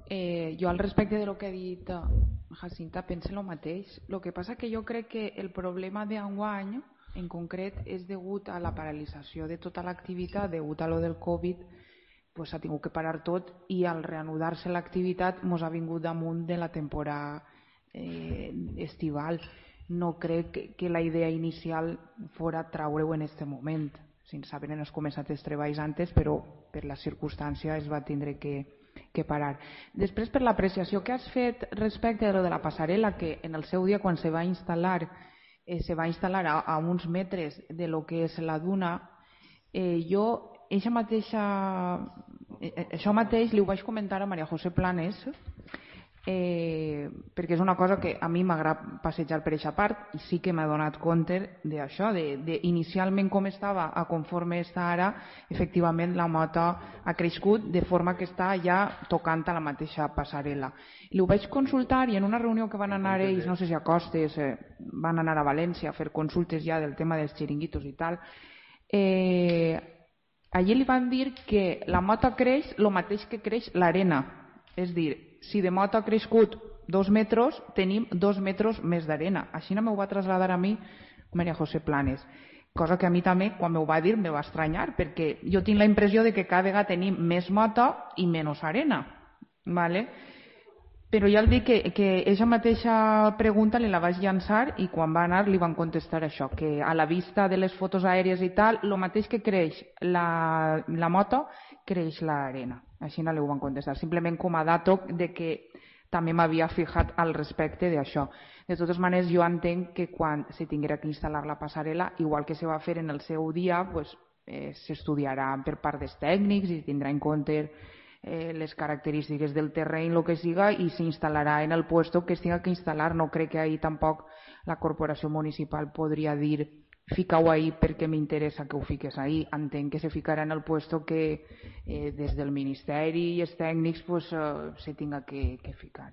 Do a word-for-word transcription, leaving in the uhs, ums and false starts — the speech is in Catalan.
Eh, jo al respecte de lo que ha dit eh, Jacinta penso el mateix. El que passa que jo crec que el problema d'enguany en concret és degut a la paralització de tota l'activitat, degut a lo del Covid, pues s'ha tingut que parar tot i al reanudar-se l'activitat mos ha vingut damunt de la temporada eh, estival. No crec que, que la idea inicial fora traure-ho en aquest moment, sense haver ens començat els treballs antes, però per la circumstància es va tindre que, que parar. Després, per l'apreciació que has fet respecte a lo de la passarel·la, que en el seu dia quan se va instal·lar eh, se va instal·lar a, a uns metres de lo que és la duna, eh, jo eixa mateixa, eh, això mateix li ho vaig comentar a Maria José Planes, eh, perquè és una cosa que a mi m'agrada passejar per aquesta part i sí que m'ha donat compte d'això, de, de inicialment com estava a conforme està ara, efectivament la moto ha crescut de forma que està ja tocant a la mateixa passarel·la. I ho vaig consultar i en una reunió que van anar ells, no sé si a Costes, eh, van anar a València a fer consultes ja del tema dels xiringuitos i tal, eh, allí li van dir que la moto creix el mateix que creix l'arena, és dir, si de moto ha crescut dos metres, tenim dos metres més d'arena. Així no m'ho va traslladar a mi Maria José Planes, cosa que a mi també, quan m'ho va dir, me va estranyar, perquè jo tinc la impressió de que cada vegada tenim més moto i menys arena. ¿Vale? Però ja el dic que, que aquesta mateixa pregunta li la vaig llançar i quan va anar li van contestar això, que a la vista de les fotos aèries i tal, el mateix que creix la, la moto, creix l'arena. Així no li ho van contestar, simplement com a dato de que també m'havia fijat al respecte d'això. De totes maneres, jo entenc que quan se tinguera que instal·lar la passarel·la, igual que se va fer en el seu dia, pues, eh, s'estudiarà per part dels tècnics i tindrà en compte eh, les característiques del terreny, el que siga, i s'instal·larà en el puesto que es tinga que instal·lar. No crec que ahir tampoc la corporació municipal podria dir fica-ho ahí perquè m'interessa que ho fiques ahí. Entenc que se ficarà en el puesto que eh, des del Ministeri i els tècnics pues, eh, se tinga que, que ficar.